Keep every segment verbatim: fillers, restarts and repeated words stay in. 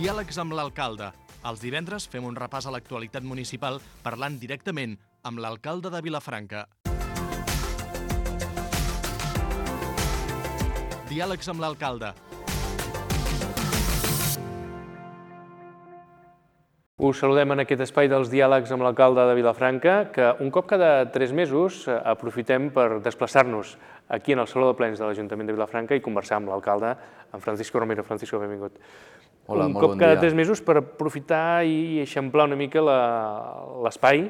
Diàlegs amb l'alcalde. Els divendres fem un repàs a l'actualitat municipal parlant directament amb l'alcalde de Vilafranca. Diàlegs amb l'alcalde. Us saludem en aquest espai dels diàlegs amb l'alcalde de Vilafranca, que un cop cada tres mesos aprofitem per desplaçar-nos aquí en el Saló de Plens de l'Ajuntament de Vilafranca i conversar amb l'alcalde, en Francisco Romero. Francisco, benvingut. Hola, un molt cop bon cada dia. tres mesos per aprofitar i eixamplar una mica l'espai,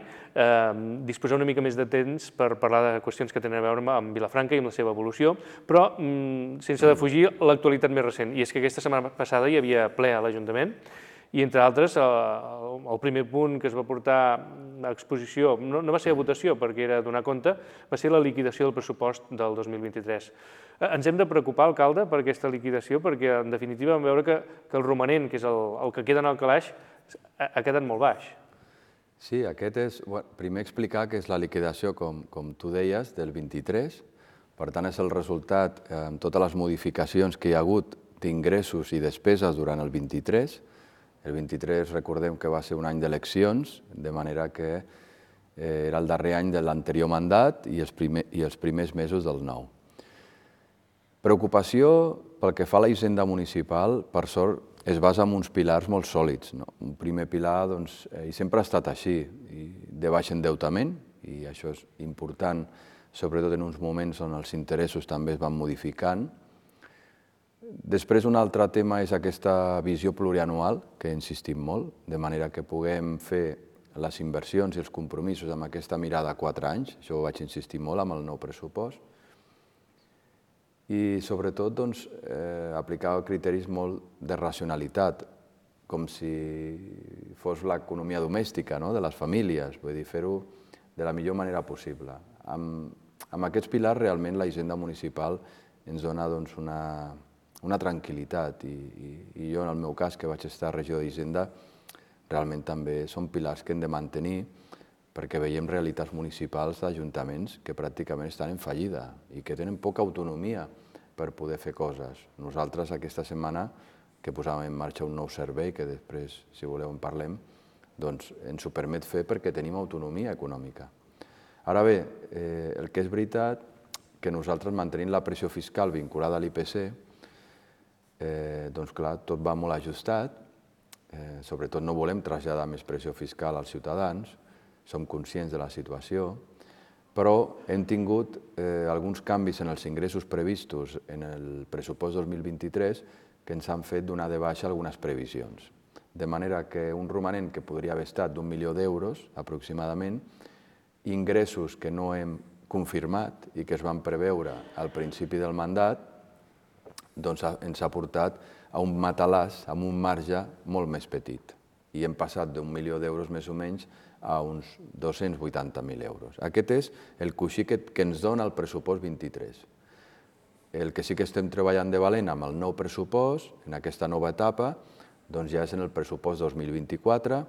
disposar una mica més de temps per parlar de qüestions que tenen a veure amb Vilafranca i amb la seva evolució, però sense defugir l'actualitat més recent. I és que aquesta setmana passada hi havia ple a l'Ajuntament i, entre altres, el primer punt que es va portar a exposició, no va ser a votació perquè era donar compte, va ser la liquidació del pressupost del dos mil vint-i-tres. Ens hem de preocupar, alcalde, per aquesta liquidació, perquè, en definitiva, vam veure que el romanent, que és el que queda en el calaix, ha quedat molt baix. Sí, aquest és... Primer explicar que és la liquidació, com tu deies, del vint-i-tres. Per tant, és el resultat, amb totes les modificacions que hi ha hagut d'ingressos i despeses durant el vint-i-tres. El vint-i-tres, recordem que va ser un any d'eleccions, de manera que era el darrer any de l'anterior mandat i els primers mesos del nou. Preocupació pel que fa a la hisenda municipal, per sort, es basa en uns pilars molt sòlids. Un primer pilar, doncs, i sempre ha estat així, de baix endeutament, i això és important, sobretot en uns moments on els interessos també es van modificant. Després, un altre tema és aquesta visió plurianual, que insistim molt, de manera que puguem fer les inversions i els compromisos amb aquesta mirada a quatre anys, això ho vaig insistir molt amb el nou pressupost, i sobretot aplicar criteris molt de racionalitat, com si fos l'economia domèstica de les famílies, vull dir, fer-ho de la millor manera possible. Amb aquests pilars, realment, la hisenda municipal ens dona una una tranquil·litat, i jo, en el meu cas, que vaig estar regidor d'Hisenda, realment també són pilars que hem de mantenir perquè veiem realitats municipals d'ajuntaments que pràcticament estan en fallida i que tenen poca autonomia per poder fer coses. Nosaltres, aquesta setmana, que posàvem en marxa un nou servei, que després, si voleu, en parlem, doncs ens ho permet fer perquè tenim autonomia econòmica. Ara bé, el que és veritat, que nosaltres mantenim la pressió fiscal vinculada a l'I P C, doncs clar, tot va molt ajustat, sobretot no volem traslladar més pressió fiscal als ciutadans, som conscients de la situació, però hem tingut alguns canvis en els ingressos previstos en el pressupost dos mil vint-i-tres que ens han fet donar de baixa algunes previsions. De manera que un romanent que podria haver estat d'un milió d'euros, aproximadament, ingressos que no hem confirmat i que es van preveure al principi del mandat, doncs ens ha portat a un matalàs amb un marge molt més petit. I hem passat d'un milió d'euros més o menys a uns dos-cents vuitanta mil euros. Aquest és el coixí que ens dona el pressupost vint-i-tres. El que sí que estem treballant de valent amb el nou pressupost, en aquesta nova etapa, doncs ja és en el pressupost dos mil vint-i-quatre,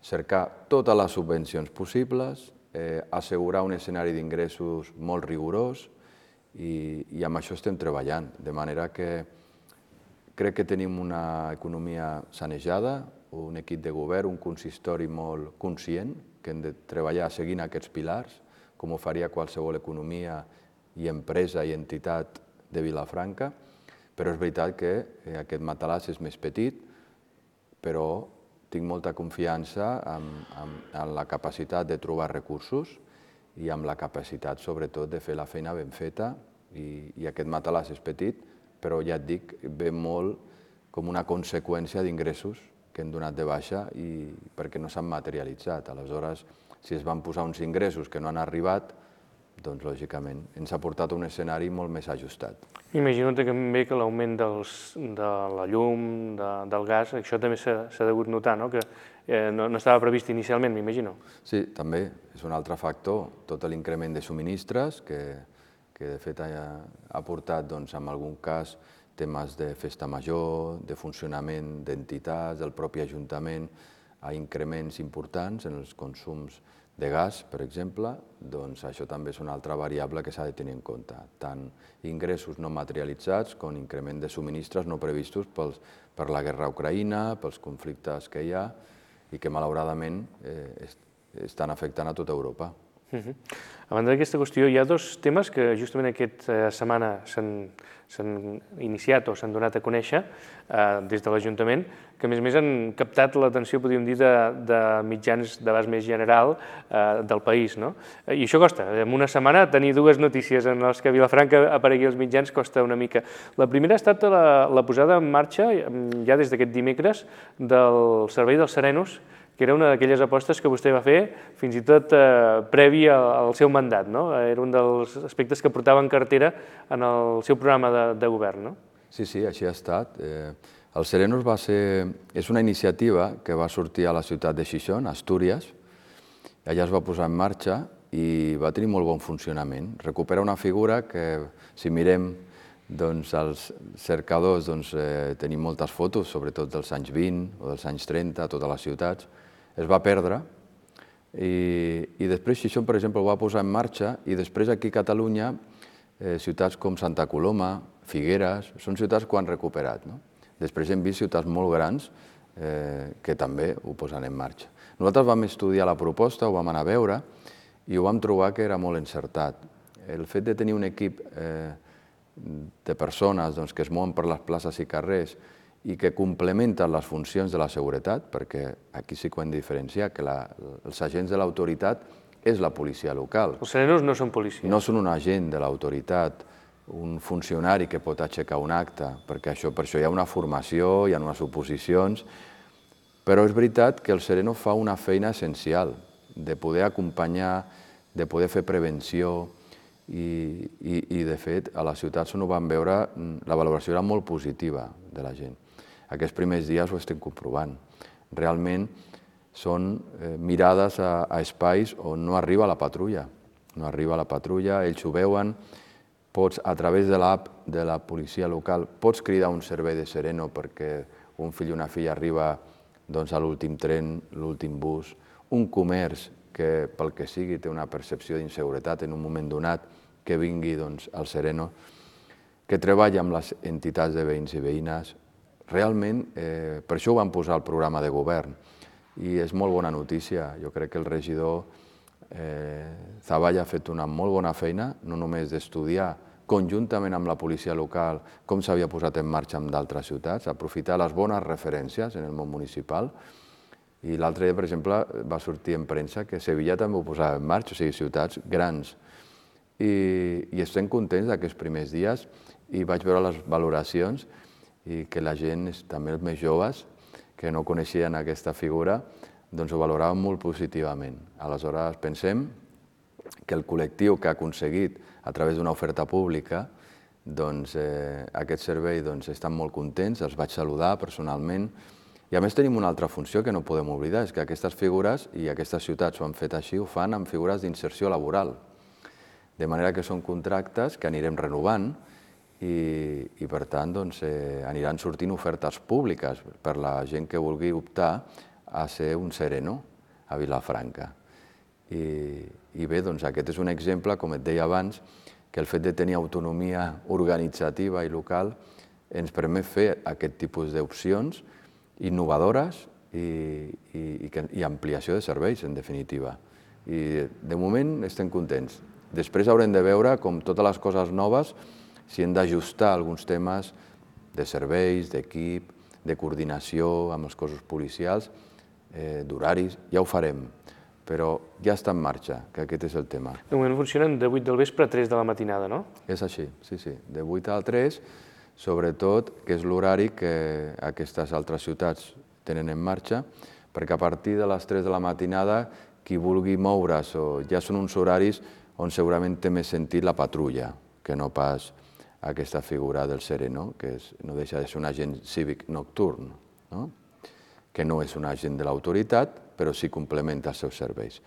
cercar totes les subvencions possibles, assegurar un escenari d'ingressos molt rigorós, i amb això estem treballant, de manera que crec que tenim una economia sanejada, un equip de govern, un consistori molt conscient, que hem de treballar seguint aquests pilars, com ho faria qualsevol economia i empresa i entitat de Vilafranca, però és veritat que aquest matalàs és més petit, però tinc molta confiança en la capacitat de trobar recursos i amb la capacitat, sobretot, de fer la feina ben feta, i aquest matalàs és petit, però ja et dic, ve molt com una conseqüència d'ingressos que hem donat de baixa perquè no s'han materialitzat. Aleshores, si es van posar uns ingressos que no han arribat, doncs, lògicament, ens ha portat a un escenari molt més ajustat. Imagino també que l'augment de la llum, del gas, això també s'ha degut notar, no? Que no estava previst inicialment, m'imagino. Sí, també és un altre factor, tot l'increment de subministres, que de fet ha portat, en algun cas, temes de festa major, de funcionament d'entitats, del propi Ajuntament, a increments importants en els consums de gas, per exemple, doncs això també és una altra variable que s'ha de tenir en compte. Tant ingressos no materialitzats com increment de subministres no previstos pels, per la guerra a Ucraïna, pels conflictes que hi ha i que malauradament eh, estan afectant a tota Europa. Uh-huh. A banda d'aquesta qüestió, hi ha dos temes que justament aquesta setmana s'han iniciat o s'han donat a conèixer eh, des de l'Ajuntament, que a més a més han captat l'atenció, podríem dir, de, de mitjans d'abast més general eh, del país, no? I això costa. En una setmana tenir dues notícies en les que Vilafranca aparegui als mitjans costa una mica. La primera ha estat la, la posada en marxa, ja des d'aquest dimecres, del servei dels Serenos, que era una d'aquelles apostes que vostè va fer fins i tot eh, previ al seu mandat, no? Era un dels aspectes que portava en cartera en el seu programa de, de govern, no? Sí, sí, així ha estat. Eh, el Serenos va ser... és una iniciativa que va sortir a la ciutat de Xixón, Astúries, allà es va posar en marxa i va tenir molt bon funcionament. Recupera una figura que, si mirem doncs, els cercadors, doncs, eh, tenim moltes fotos, sobretot dels anys vint o dels anys trenta, a totes les ciutats. Es va perdre i, i després Xixón, per exemple, ho va posar en marxa i després aquí a Catalunya, eh, ciutats com Santa Coloma, Figueres, són ciutats que ho han recuperat, no? Després hem vist ciutats molt grans eh, que també ho posen en marxa. Nosaltres vam estudiar la proposta, ho vam anar a veure i ho vam trobar que era molt encertat. El fet de tenir un equip eh, de persones doncs, que es mouen per les places i carrers i que complementen les funcions de la seguretat, perquè aquí sí que ho hem de diferenciar, que la, els agents de l'autoritat és la policia local. Els serenos no són policies. No són un agent de l'autoritat, un funcionari que pot aixecar un acte, perquè això, per això hi ha una formació, hi ha unes oposicions, però és veritat que el sereno fa una feina essencial, de poder acompanyar, de poder fer prevenció, i, i, i de fet a les ciutats on ho vam veure la valoració era molt positiva de la gent. Aquests primers dies ho estem comprovant. Realment són eh, mirades a, a espais on no arriba la patrulla. No arriba la patrulla, ells ho veuen, pots, a través de l'app de la policia local, pots cridar un servei de sereno perquè un fill o una filla arriba doncs, a l'últim tren, l'últim bus, un comerç que pel que sigui té una percepció d'inseguretat en un moment donat, que vingui doncs, al sereno, que treballa amb les entitats de veïns i veïnes. Realment, eh, per això ho vam posar al programa de govern i és molt bona notícia. Jo crec que el regidor eh, Zavalla ha fet una molt bona feina, no només d'estudiar conjuntament amb la policia local com s'havia posat en marxa en d'altres ciutats, aprofitar les bones referències en el món municipal. I l'altre dia, per exemple, va sortir en premsa que Sevilla també ho posava en marxa, o sigui, ciutats grans. I, i estem contents d'aquests primers dies i vaig veure les valoracions i que la gent, també els més joves, que no coneixien aquesta figura, doncs ho valoraven molt positivament. Aleshores, pensem que el col·lectiu que ha aconseguit, a través d'una oferta pública, doncs, eh, aquest servei doncs, estan molt contents, els vaig saludar personalment. I a més tenim una altra funció que no podem oblidar, és que aquestes figures, i aquestes ciutats ho han fet així, ho fan amb figures d'inserció laboral. De manera que són contractes que anirem renovant i, i per tant, doncs, eh, aniran sortint ofertes públiques per la gent que vulgui optar a ser un sereno a Vilafranca. I, i bé, doncs, aquest és un exemple, com et deia abans, que el fet de tenir autonomia organitzativa i local ens permet fer aquest tipus d'opcions innovadores i, i, i ampliació de serveis, en definitiva. I de moment estem contents. Després haurem de veure, com totes les coses noves, si hem d'ajustar alguns temes de serveis, d'equip, de coordinació amb els cossos policials, eh, d'horaris, ja ho farem, però ja està en marxa, que aquest és el tema. De moment funcionen de vuit del vespre a tres de la matinada, no? És així, sí, sí, de vuit a tres, sobretot, que és l'horari que aquestes altres ciutats tenen en marxa, perquè a partir de les tres de la matinada, qui vulgui moure's, o ja són uns horaris on segurament té més sentit la patrulla, que no pas aquesta figura del sereno, que és, no deixa de ser un agent cívic nocturn, no? Que no és un agent de l'autoritat, però sí complementa els seus serveis.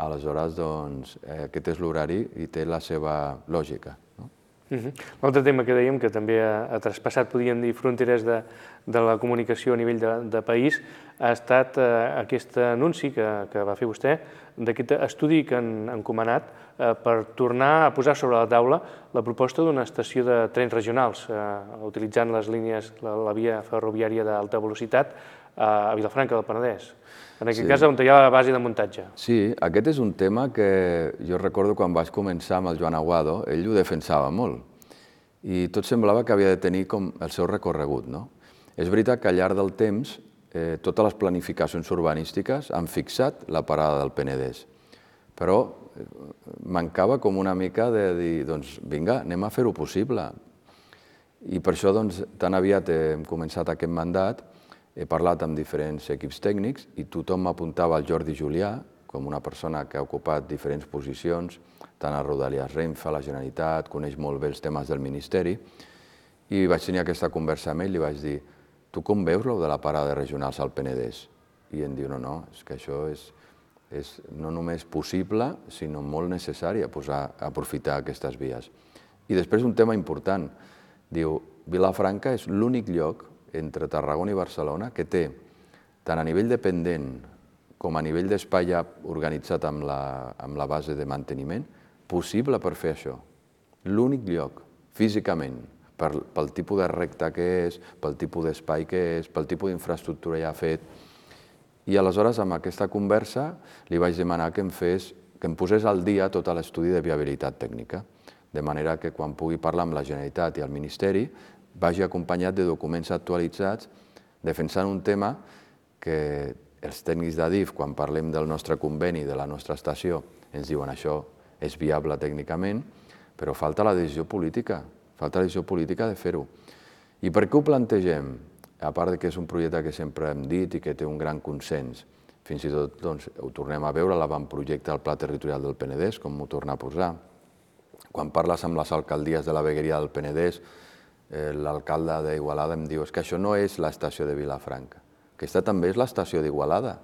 Aleshores, doncs, eh, aquest és l'horari i té la seva lògica, no? Uh-huh. L'altre tema que dèiem, que també ha, ha traspassat, podríem dir, fronteres de, de la comunicació a nivell de, de país, ha estat eh, aquest anunci que, que va fer vostè d'aquest estudi que han encomanat per tornar a posar sobre la taula la proposta d'una estació de trens regionals, utilitzant les línies, la via ferroviària d'alta velocitat a Vilafranca del Penedès. En aquest cas, on hi ha la base de muntatge. Sí, aquest és un tema que jo recordo quan vaig començar amb el Joan Aguado, ell ho defensava molt. I tot semblava que havia de tenir com el seu recorregut, no? És veritat que al llarg del temps totes les planificacions urbanístiques han fixat la parada del Penedès, però mancava com una mica de dir, doncs vinga, anem a fer-ho possible. I per això, doncs, tan aviat hem començat aquest mandat, he parlat amb diferents equips tècnics i tothom m'apuntava al Jordi Julià com una persona que ha ocupat diferents posicions, tant a Rodalies Renfe, a la Generalitat, coneix molt bé els temes del Ministeri, i vaig tenir aquesta conversa amb ell i li vaig dir: tu com veus lo de la parada regionals al Penedès? I em diu, no, no, és que això és, és no només possible, sinó molt necessari posar, aprofitar aquestes vies. I després un tema important, diu, Vilafranca és l'únic lloc entre Tarragona i Barcelona que té, tant a nivell dependent com a nivell d'espai ja organitzat amb la, amb la base de manteniment, possible per fer això. L'únic lloc, físicament, pel tipus de recta que és, pel tipus d'espai que és, pel tipus d'infraestructura ja fet. I aleshores, amb aquesta conversa, li vaig demanar que em fes, que em posés al dia tot l'estudi de viabilitat tècnica, de manera que quan pugui parlar amb la Generalitat i el Ministeri vagi acompanyat de documents actualitzats defensant un tema que els tècnics d'Adif, quan parlem del nostre conveni, de la nostra estació, ens diuen això és viable tècnicament, però falta la decisió política. Falta la decisió política de fer-ho. I per què ho plantegem? A part que és un projecte que sempre hem dit i que té un gran consens, fins i tot ho tornem a veure a l'avantprojecte del Pla Territorial del Penedès, com m'ho torna a posar. Quan parles amb les alcaldies de la vegueria del Penedès, l'alcalde d'Igualada em diu és que això no és l'estació de Vilafranca, aquesta també és l'estació d'Igualada.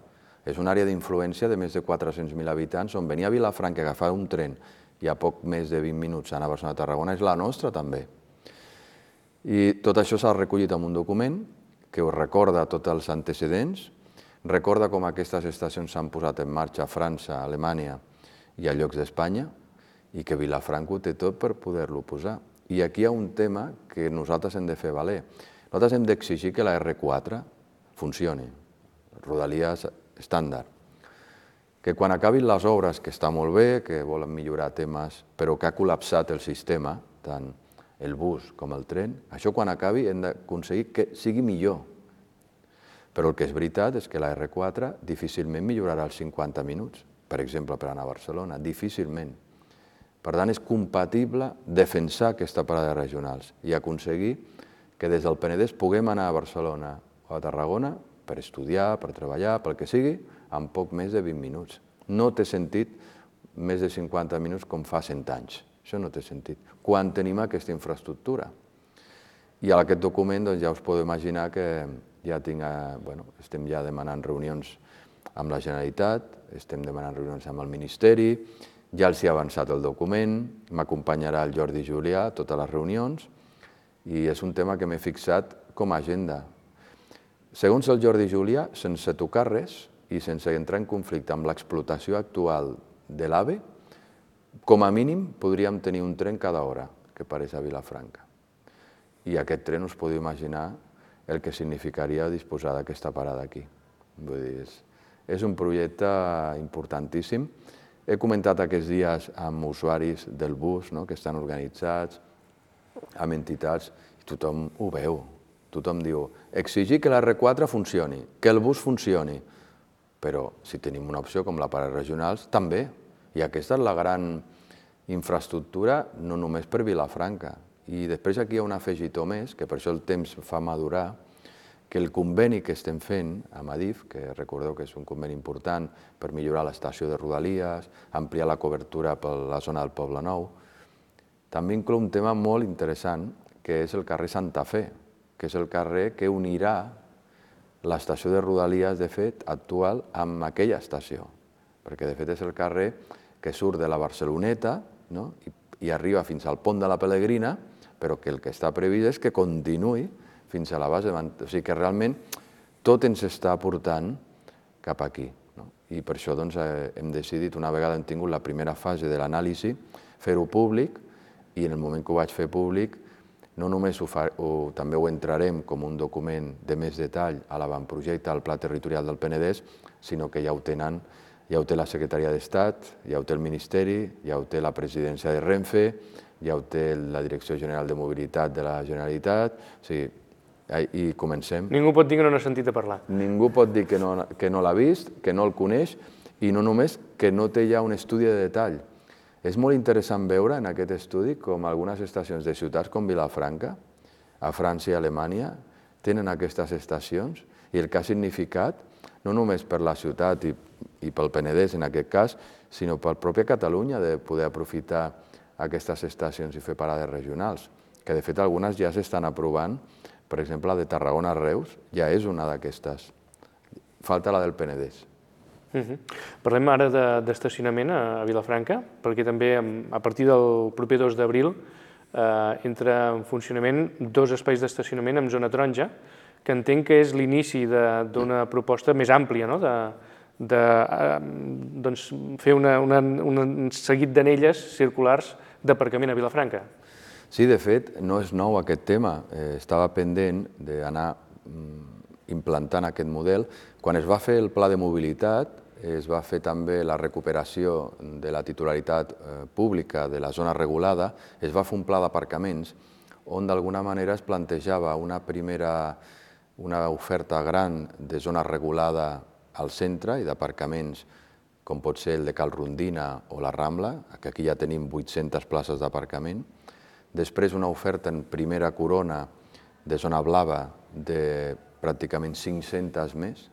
És una àrea d'influència de més de quatre-cents mil habitants on venir a Vilafranca a agafar un tren i a poc més de vint minuts anar a Barcelona-Tarragona és la nostra també. I tot això s'ha recollit en un document que us recorda tots els antecedents, recorda com aquestes estacions s'han posat en marxa a França, a Alemanya i a llocs d'Espanya i que Vilafranca ho té tot per poder-lo posar. I aquí hi ha un tema que nosaltres hem de fer valer. Nosaltres hem d'exigir que la erre quatre funcioni, Rodalies estàndard. Que quan acabin les obres, que està molt bé, que volen millorar temes, però que ha col·lapsat el sistema, tant el bus com el tren, això quan acabi hem d'aconseguir que sigui millor. Però el que és veritat és que la erre quatre difícilment millorarà els cinquanta minuts, per exemple, per anar a Barcelona, difícilment. Per tant, és compatible defensar aquesta parada regionals i aconseguir que des del Penedès puguem anar a Barcelona o a Tarragona per estudiar, per treballar, pel que sigui, en poc més de vint minuts. No té sentit més de cinquanta minuts com fa cent anys. Això no té sentit. Quan tenim aquesta infraestructura. I en aquest document ja us podeu imaginar que ja estem ja demanant reunions amb la Generalitat, estem demanant reunions amb el Ministeri, ja els hi ha avançat el document, m'acompanyarà el Jordi Julià a totes les reunions i és un tema que m'he fixat com a agenda. Segons el Jordi Julià, sense tocar res i sense entrar en conflicte amb l'explotació actual de l'AVE, com a mínim podríem tenir un tren cada hora que parés a Vilafranca. I aquest tren us podeu imaginar el que significaria disposar d'aquesta parada aquí. Vull dir, és un projecte importantíssim. He comentat aquests dies amb usuaris del bus que estan organitzats, amb entitats, i tothom ho veu. Tothom diu, exigir que la erre quatre funcioni, que el bus funcioni, però si tenim una opció com la parada regionals, també. I aquesta és la gran infraestructura, no només per Vilafranca. I després aquí hi ha un afegitó més, que per això el temps fa madurar, que el conveni que estem fent amb Adif, que recordeu que és un conveni important per millorar l'estació de Rodalies, ampliar la cobertura per la zona del Poble Nou, també inclou un tema molt interessant, que és el carrer Santa Fe, que és el carrer que unirà l'estació de Rodalies, de fet, actual, amb aquella estació, perquè de fet és el carrer que surt de la Barceloneta i arriba fins al pont de la Pelegrina, però que el que està previst és que continuï fins a la base, o sigui que realment tot ens està portant cap aquí. i per això hem decidit, una vegada hem tingut la primera fase de l'anàlisi, fer-ho públic, i en el moment que ho vaig fer públic no només també ho entrarem com un document de més detall a l'avantprojecte al Pla Territorial del Penedès, sinó que ja ho tenen, ja ho té la Secretaria d'Estat, ja ho té el Ministeri, ja ho té la presidència de Renfe, ja ho té la Direcció General de Mobilitat de la Generalitat, o sigui, i comencem. Ningú pot dir que no n'ha sentit a parlar. Ningú pot dir que no l'ha vist, que no el coneix, i no només que no té ja un estudi de detall. És molt interessant veure en aquest estudi com algunes estacions de ciutats com Vilafranca, a França i Alemanya, tenen aquestes estacions i el que ha significat, no només per la ciutat i pel Penedès en aquest cas, sinó per la pròpia Catalunya de poder aprofitar aquestes estacions i fer parades regionals, que de fet algunes ja s'estan aprovant, per exemple la de Tarragona a Reus ja és una d'aquestes. Falta la del Penedès. Parlem ara d'estacionament a Vilafranca, perquè també a partir del proper dos d'abril entra en funcionament dos espais d'estacionament en zona taronja, que entenc que és l'inici d'una proposta més àmplia, de fer un seguit d'anelles circulars d'aparcament a Vilafranca. Sí, de fet, no és nou aquest tema. Estava pendent d'anar implantant aquest model. Quan es va fer el pla de mobilitat, es va fer també la recuperació de la titularitat pública de la zona regulada, es va fer un pla d'aparcaments on d'alguna manera es plantejava una primera una oferta gran de zona regulada al centre i d'aparcaments com pot ser el de Cal Rondina o la Rambla, que aquí ja tenim vuit-centes places d'aparcament. Després una oferta en primera corona de zona blava de pràcticament cinc-centes més,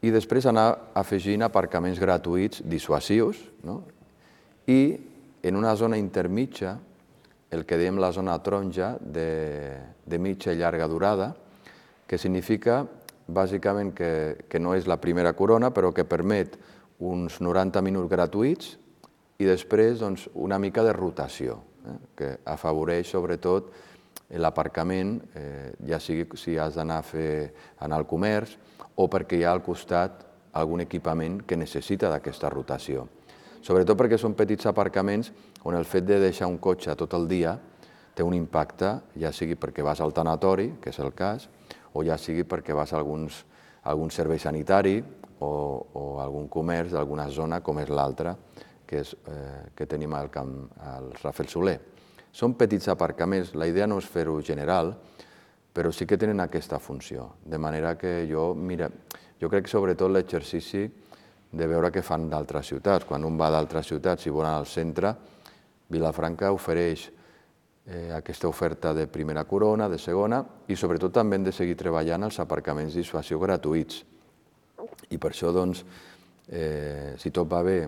i després anar afegint aparcaments gratuïts dissuasius i en una zona intermitja, el que diem la zona taronja de mitja i llarga durada, que significa bàsicament que no és la primera corona, però que permet uns noranta minuts gratuïts i després una mica de rotació, que afavoreix sobretot l'aparcament, ja sigui si has d'anar a fer anar al comerç o perquè hi ha al costat algun equipament que necessita d'aquesta rotació. Sobretot perquè són petits aparcaments on el fet de deixar un cotxe tot el dia té un impacte, ja sigui perquè vas al tanatori, que és el cas, o ja sigui perquè vas a algun servei sanitari o algun comerç d'alguna zona com és l'altra que tenim al Rafel Soler. Són petits aparcaments, la idea no és fer-ho general, però sí que tenen aquesta funció, de manera que jo, mira, jo crec que sobretot l'exercici de veure què fan d'altres ciutats. Quan un va d'altres ciutats i vol anar al centre, Vilafranca ofereix aquesta oferta de primera corona, de segona, i sobretot també hem de seguir treballant els aparcaments de dissuasió gratuïts. I per això, doncs, si tot va bé,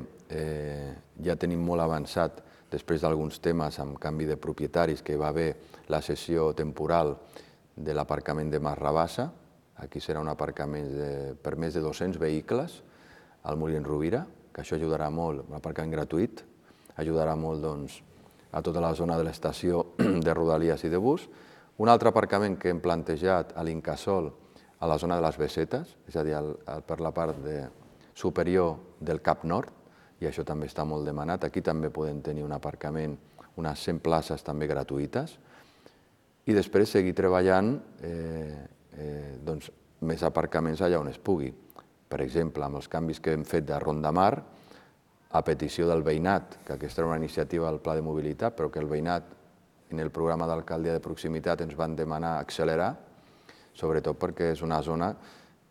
ja tenim molt avançat, després d'alguns temes amb canvi de propietaris, que hi va haver la cessió temporal de l'aparcament de Mas Rabassa. Aquí serà un aparcament per més de dos-cents vehicles al Molins Rovira, que això ajudarà molt, un aparcament gratuït, ajudarà molt, doncs, a tota la zona de l'estació de Rodalies i de bus. Un altre aparcament que hem plantejat a l'Incasòl, a la zona de les Besetes, és a dir, per la part superior del Cap Nord, i això també està molt demanat. Aquí també podem tenir un aparcament, unes cent places també gratuïtes, i després seguir treballant més aparcaments allà on es pugui. Per exemple, amb els canvis que hem fet de Ronda Mar, a petició del veïnat, que aquesta era una iniciativa del Pla de Mobilitat, però que el veïnat, en el programa d'alcaldia de proximitat, ens van demanar accelerar, sobretot perquè és una zona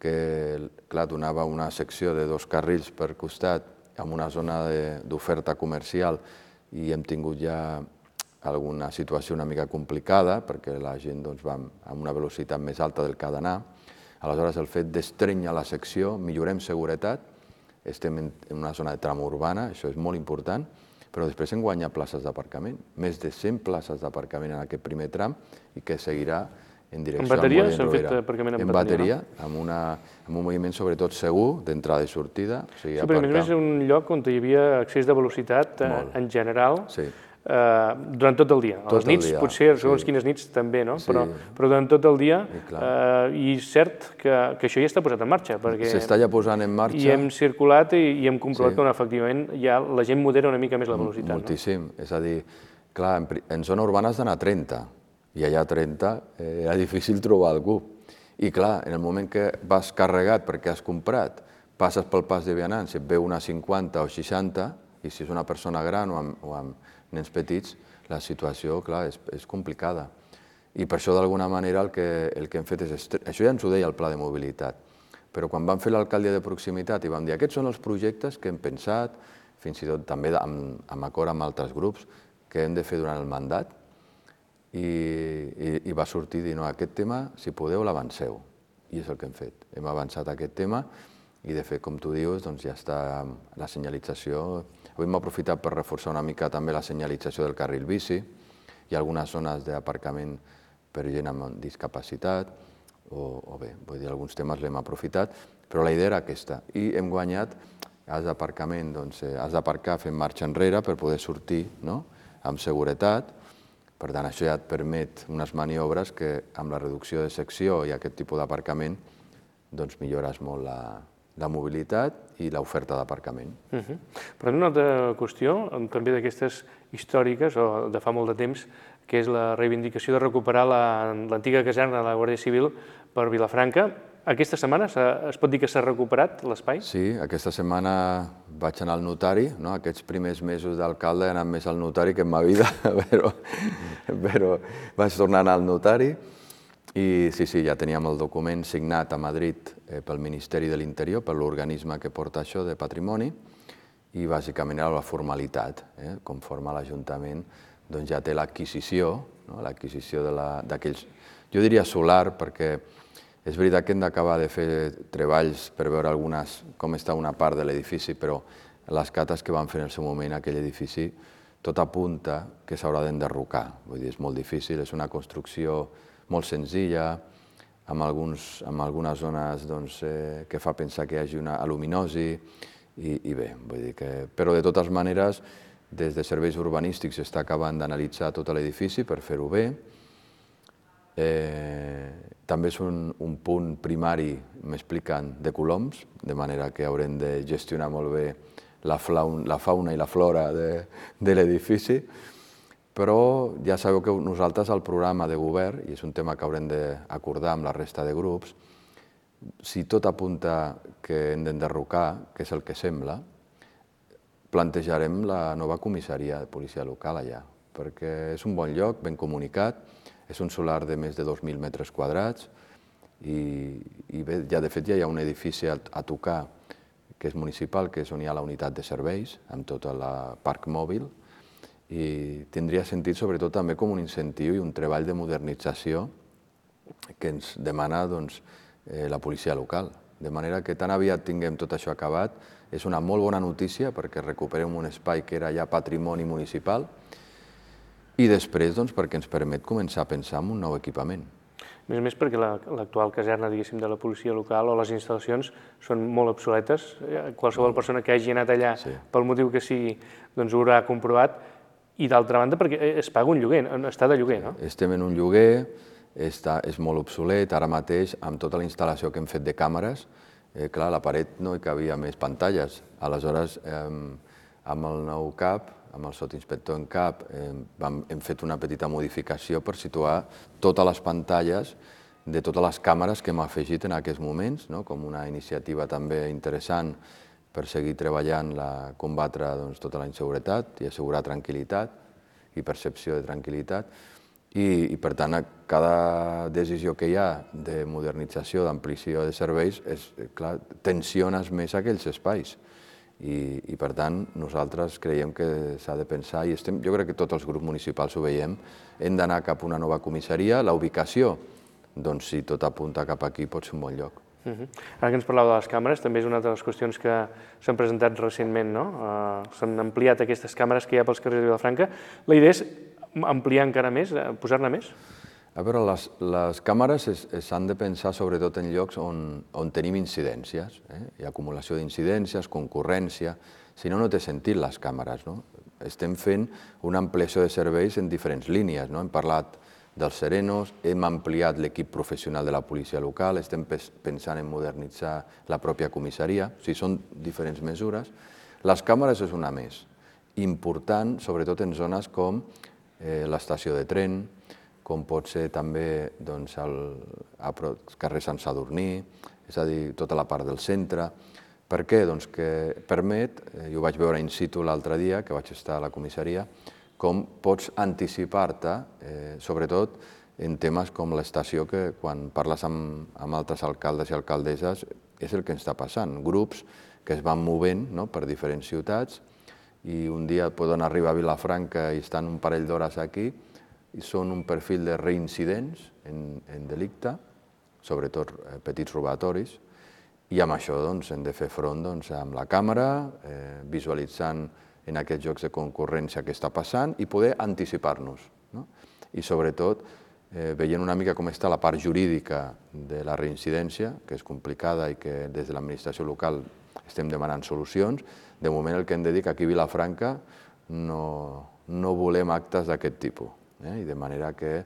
que, clar, donava una secció de dos carrils per costat amb una zona d'oferta comercial i hem tingut ja alguna situació una mica complicada perquè la gent va amb una velocitat més alta del que ha d'anar. Aleshores, el fet d'estrènyer la secció, millorem seguretat, estem en una zona de trama urbana, això és molt important, però després hem guanyat places d'aparcament, més de cent places d'aparcament en aquest primer tram i que seguirà en direcció al Molins Rovira. En bateria s'han fet aparcament en bateria? En bateria, amb un moviment sobretot segur, d'entrada i sortida. Sí, però a més és un lloc on hi havia excés de velocitat en general. durant tot el dia. A les nits, potser, segons quines nits també, no? Però durant tot el dia, i és cert que això ja està posat en marxa, perquè... S'està ja posant en marxa. I hem circulat i hem comprovat que efectivament ja la gent modera una mica més la velocitat. Moltíssim, és a dir, clar, en zona urbana has d'anar a trenta, i allà a trenta era difícil trobar algú. I clar, en el moment que vas carregat perquè has comprat, passes pel pas de vianants, et ve una cinquanta o seixanta, i si és una persona gran o amb nens petits, la situació, clar, és complicada. I per això, d'alguna manera, el que hem fet és... Això ja ens ho deia el pla de mobilitat, però quan vam fer l'alcaldia de proximitat i vam dir aquests són els projectes que hem pensat, fins i tot també amb acord amb altres grups, que hem de fer durant el mandat, i va sortir dir, no, aquest tema, si podeu, l'avanceu. I és el que hem fet. Hem avançat aquest tema i, de fet, com tu dius, doncs ja està la senyalització. Avui hem aprofitat per reforçar una mica també la senyalització del carril bici. Hi ha algunes zones d'aparcament per gent amb discapacitat, o bé, vull dir, alguns temes l'hem aprofitat, però la idea era aquesta. I hem guanyat, has d'aparcament, doncs has d'aparcar fent marxa enrere per poder sortir amb seguretat. Per tant, això ja et permet unes maniobres que amb la reducció de secció i aquest tipus d'aparcament doncs millores molt la mobilitat i l'oferta d'aparcament. Però una altra qüestió, també d'aquestes històriques o de fa molt de temps, que és la reivindicació de recuperar l'antiga caserna de la Guàrdia Civil per Vilafranca. Aquesta setmana es pot dir que s'ha recuperat l'espai? Sí, aquesta setmana vaig anar al notari. Aquests primers mesos d'alcalde he anat més al notari que en ma vida, però vaig tornar a anar al notari. I sí, sí, ja teníem el document signat a Madrid pel Ministeri de l'Interior, per l'organisme que porta això de patrimoni, i bàsicament era la formalitat. Conforme l'Ajuntament ja té l'adquisició, l'adquisició d'aquells, jo diria solar, perquè és veritat que hem d'acabar de fer treballs per veure com està una part de l'edifici, però les cates que van fer en el seu moment aquell edifici, tot apunta que s'haurà d'enderrocar. Vull dir, és molt difícil, és una construcció molt senzilla, amb algunes zones que fa pensar que hi hagi una aluminosi, i bé, vull dir que... Però de totes maneres, des de serveis urbanístics s'està acabant d'analitzar tot l'edifici per fer-ho bé. També és un punt primari, m'expliquen, de coloms, de manera que haurem de gestionar molt bé la fauna i la flora de l'edifici. Però ja sabeu que nosaltres al programa de govern, i és un tema que haurem d'acordar amb la resta de grups, si tot apunta que hem d'enderrocar, que és el que sembla, plantejarem la nova comissaria de policia local allà, perquè és un bon lloc, ben comunicat, és un solar de més de dos mil metres quadrats, i bé, ja de fet ja hi ha un edifici a tocar, que és municipal, que és on hi ha la unitat de serveis, amb tot el parc mòbil, i tindria sentit sobretot també com un incentiu i un treball de modernització que ens demana la policia local. De manera que tan aviat tinguem tot això acabat, és una molt bona notícia perquè recuperem un espai que era ja patrimoni municipal i després perquè ens permet començar a pensar en un nou equipament. A més a més perquè l'actual caserna, diguéssim, de la policia local o les instal·lacions són molt obsoletes. Qualsevol persona que hagi anat allà pel motiu que sigui ho haurà comprovat. I d'altra banda perquè es paga un lloguer, està de lloguer, no? Estem en un lloguer, és molt obsolet, ara mateix amb tota la instal·lació que hem fet de càmeres, clar, a la paret no hi cabia més pantalles. Aleshores, amb el nou cap, amb el sotinspector en cap, hem fet una petita modificació per situar totes les pantalles de totes les càmeres que hem afegit en aquests moments, com una iniciativa també interessant per seguir treballant a combatre tota la inseguretat i assegurar tranquil·litat i percepció de tranquil·litat. I, per tant, cada decisió que hi ha de modernització, d'ampliació de serveis, tensiones més aquells espais. I, per tant, nosaltres creiem que s'ha de pensar, i jo crec que tots els grups municipals ho veiem, hem d'anar cap a una nova comissaria. La ubicació, doncs, si tot apunta cap aquí, pot ser un bon lloc. Ara que ens parlàveu de les càmeres, també és una de les qüestions que s'han presentat recentment, no? S'han ampliat aquestes càmeres que hi ha pels carrers de Vilafranca. La idea és ampliar encara més, posar-ne més? A veure, les càmeres s'han de pensar sobretot en llocs on tenim incidències. Hi ha acumulació d'incidències, concurrència... Si no, no té sentit les càmeres, no? estem fent una ampliació de serveis en diferents línies. Hem parlat dels serenos, hem ampliat l'equip professional de la policia local, estem pensant en modernitzar la pròpia comissaria, o sigui, són diferents mesures. Les càmeres és una més, important, sobretot en zones com l'estació de tren, com pot ser també al carrer Sant Sadurní, és a dir, tota la part del centre. Per què? Doncs que permet, i ho vaig veure in situ l'altre dia, que vaig estar a la comissaria, com pots anticipar-te, sobretot en temes com l'estació, que quan parles amb altres alcaldes i alcaldesses és el que ens està passant. Grups que es van movent per diferents ciutats i un dia poden arribar a Vilafranca i estan un parell d'hores aquí i són un perfil de reincidents en delicte, sobretot petits robatoris, i amb això hem de fer front amb la càmera, visualitzant en aquests jocs de concurrència què està passant i poder anticipar-nos. I sobretot veient una mica com està la part jurídica de la reincidència, que és complicada i que des de l'administració local estem demanant solucions, de moment el que hem de dir que aquí a Vilafranca no volem actes d'aquest tipus, i de manera que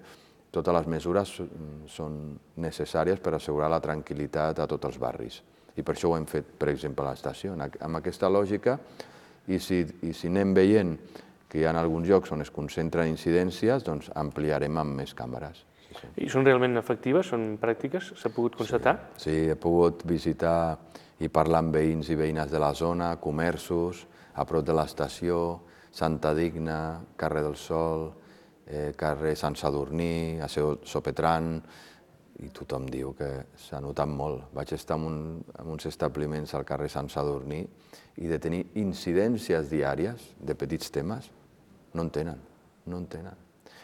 totes les mesures són necessàries per assegurar la tranquil·litat a tots els barris. I per això ho hem fet, per exemple, a l'estació, amb aquesta lògica. I si anem veient que hi ha alguns llocs on es concentren incidències, doncs ampliarem amb més càmeres. I són realment efectives? Són pràctiques? S'ha pogut constatar? Sí, he pogut visitar i parlar amb veïns i veïnes de la zona, comerços, a prop de l'estació, Santa Digna, carrer del Sol, carrer Sant Sadurní, a Sopetran, i tothom diu que s'ha notat molt. Vaig estar en uns establiments al carrer Sant Sadurní i de tenir incidències diàries de petits temes, no en tenen, no en tenen.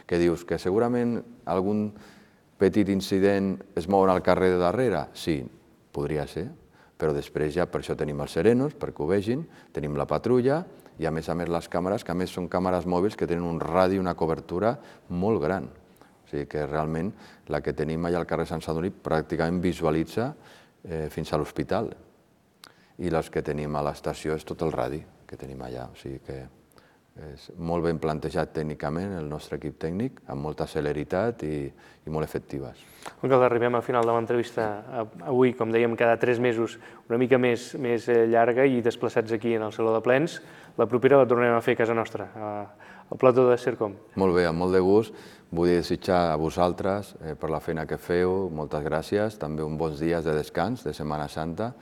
Que dius que segurament algun petit incident es mouen al carrer de darrere? Sí, podria ser, però després ja per això tenim els serenos, perquè ho vegin, tenim la patrulla i a més a més les càmeres, que a més són càmeres mòbils que tenen un radi i una cobertura molt gran. O sigui que realment la que tenim allà al carrer Sant Sadurní pràcticament visualitza fins a l'hospital. I les que tenim a l'estació és tot el radi que tenim allà. O sigui que és molt ben plantejat tècnicament el nostre equip tècnic, amb molta celeritat i molt efectives. Alcalde, arribem al final de l'entrevista avui, com dèiem, cada tres mesos, una mica més llarga i desplaçats aquí en el Saló de Plens. La propera la tornarem a fer a casa nostra, al plató de Sercom. Molt bé, amb molt de gust. Vull desitjar a vosaltres per la feina que feu, moltes gràcies, també uns bons dies de descans de Setmana Santa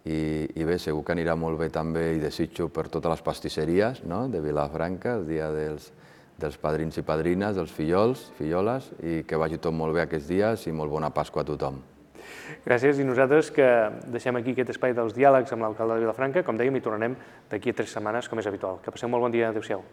i bé, segur que anirà molt bé també i desitjo per totes les pastisseries de Vilafranca, el dia dels padrins i padrines, dels fillols, filloles, i que vagi tot molt bé aquests dies i molt bona Pasqua a tothom. Gràcies, i nosaltres que deixem aquí aquest espai dels diàlegs amb l'alcalde de Vilafranca, com dèiem, i tornarem d'aquí a tres setmanes, com és habitual. Que passeu molt bon dia, adéu-siau.